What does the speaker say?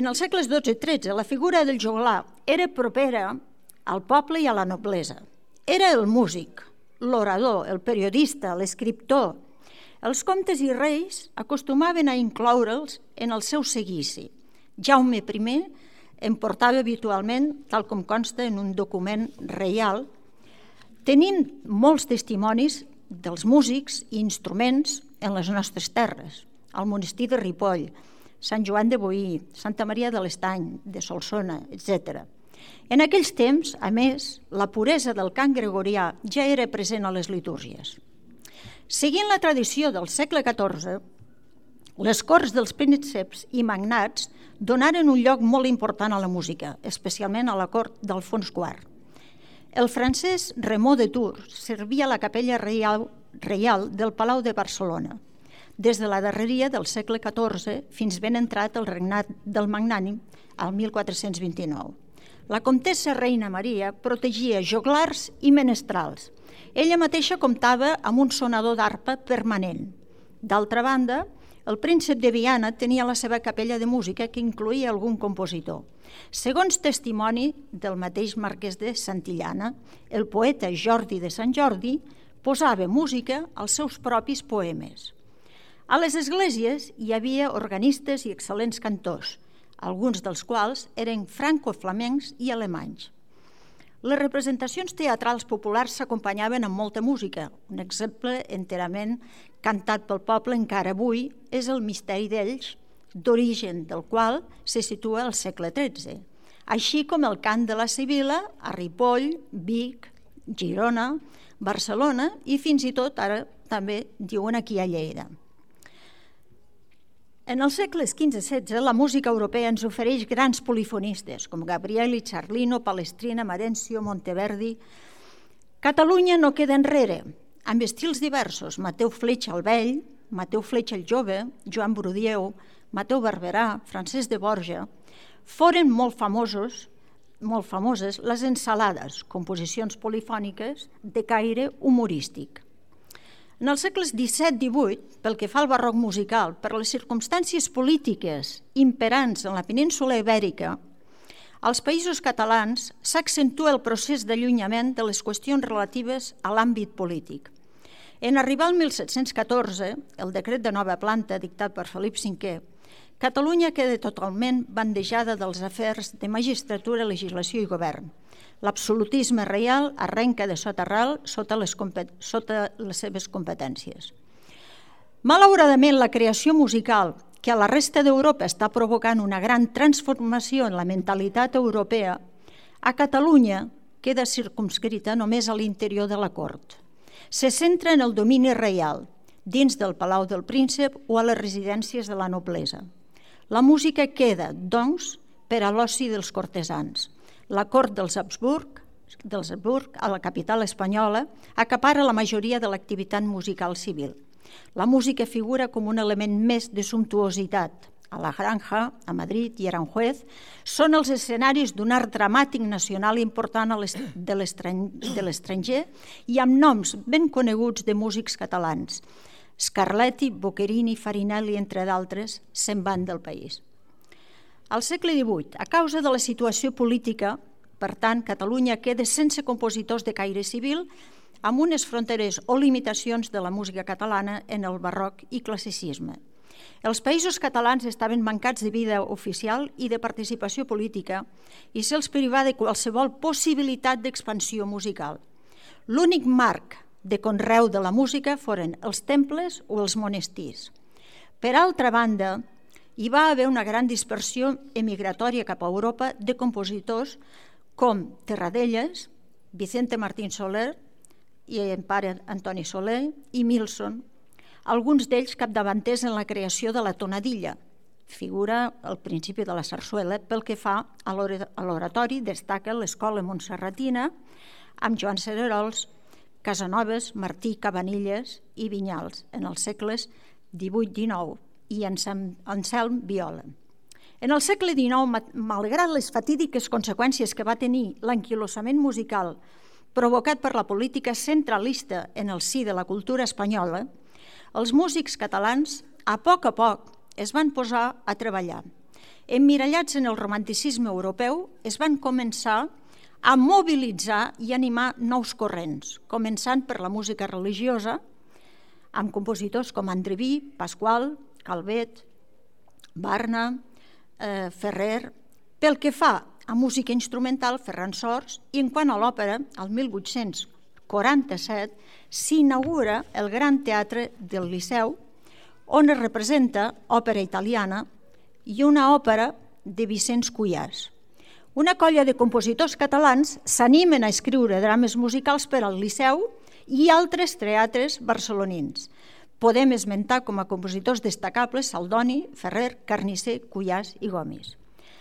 En els segles XII i XIII, la figura del joglar era propera al poble i a la noblesa. Era el músic, l'orador, el periodista, l'escriptor. Els comtes i reis acostumaven a incloure'ls en el seu seguici. Jaume I en portava habitualment, tal com consta en un document reial. Tenim molts testimonis dels músics i instruments en les nostres terres, al monestir de Ripoll, Sant Joan de Boí, Santa Maria de l'Estany, de Solsona, etc. En aquells temps, a més, la puresa del cant gregorià ja era present a les litúrgies. Seguint la tradició del segle XIV, les corts dels prínceps i magnats donaren un lloc molt important a la música, especialment a la cort d'Alfons IV. El francès Raimon de Tours servia a la capella reial del Palau de Barcelona, des de la darreria del segle XIV fins ben entrat el regnat del Magnànim al 1429. La comtessa Reina Maria protegia joglars i menestrals. Ella mateixa comptava amb un sonador d'arpa permanent. D'altra banda, el príncep de Viana tenia la seva capella de música que incloïa algun compositor. Segons testimoni del mateix marquès de Santillana, el poeta Jordi de Sant Jordi posava música als seus propis poemes. A les esglésies hi havia organistes i excel·lents cantors, alguns dels quals eren franco-flamencs i alemanys. Les representacions teatrals populars s'acompanyaven amb molta música. Un exemple enterament cantat pel poble encara avui és el Misteri d'Elx, d'origen del qual se situa al segle XIII, així com el cant de la Sibil·la a Ripoll, Vic, Girona, Barcelona i fins i tot ara també diuen aquí a Lleida. En els segles XV i XVI, la música europea ens ofereix grans polifonistes, com Gabrieli, Charlino, Palestrina, Marencio, Monteverdi. Catalunya no queda enrere, amb estils diversos, Mateu Fletxa el Vell, Mateu Fletxa el Jove, Joan Brudieu, Mateu Barberà, Francesc de Borja. Foren molt famoses les ensalades, composicions polifòniques de caire humorístic. En els segles XVII i XVIII, pel que fa al barroc musical, per les circumstàncies polítiques imperants en la península ibèrica, als països catalans s'accentua el procés d'allunyament de les qüestions relatives a l'àmbit polític. En arribar al 1714, el decret de nova planta dictat per Felip V, Catalunya queda totalment bandejada dels afers de magistratura, legislació i govern. L'absolutisme reial arrenca de soterral sota les seves competències. Malauradament, la creació musical, que a la resta d'Europa està provocant una gran transformació en la mentalitat europea, a Catalunya queda circumscrita només a l'interior de la cort. Se centra en el domini reial, dins del Palau del Príncep o a les residències de la noblesa. La música queda, doncs, per a l'oci dels cortesans. La cort dels Habsburg, a la capital espanyola, acapara la majoria de l'activitat musical civil. La música figura com un element més de sumptuositat. A la Granja, a Madrid i Aranjuez són els escenaris d'un art dramàtic nacional important de l'estranger i amb noms ben coneguts de músics catalans. Scarlatti, Boccherini, Farinelli, entre d'altres, se'n van del país. Al segle XVIII, a causa de la situació política, per tant, Catalunya queda sense compositors de caire civil, amb unes fronteres o limitacions de la música catalana en el barroc i classicisme. Els països catalans estaven mancats de vida oficial i de participació política i se'ls privava de qualsevol possibilitat d'expansió musical. L'únic marc de conreu de la música foren els temples o els monestirs. Per altra banda, hi va haver una gran dispersió emigratòria cap a Europa de compositors com Terradellas, Vicente Martín Soler i en pare Antoni Soler i Milson, alguns d'ells capdavanters en la creació de la tonadilla, figura al principi de la sarsuela. Pel que fa a l'oratori, destaca l'Escola Montserratina amb Joan Cererols, Casanovas, Martí, Cabanilles i Vinyals en els segles XVIII-XIX i Anselm Viola. En el segle XIX, malgrat les fatídiques conseqüències que va tenir l'anquilosament musical provocat per la política centralista en el si de la cultura espanyola, els músics catalans, a poc es van posar a treballar emmirallats en el romanticisme europeu, es van començar a mobilitzar i animar nous corrents, començant per la música religiosa, amb compositors com Andreví, Pasqual, Calvet, Barna, Ferrer. Pel que fa a música instrumental, Ferran Sors, i en quant a l'òpera, el 1847 s'inaugura el Gran Teatre del Liceu, on es representa òpera italiana i una òpera de Vicenç Cuyàs. Una colla de compositors catalans s'animen a escriure drames musicals per al Liceu i altres teatres barcelonins. Podem esmentar com a compositors destacables Saldoni, Ferrer, Carnisser, Cuyàs i Gomis.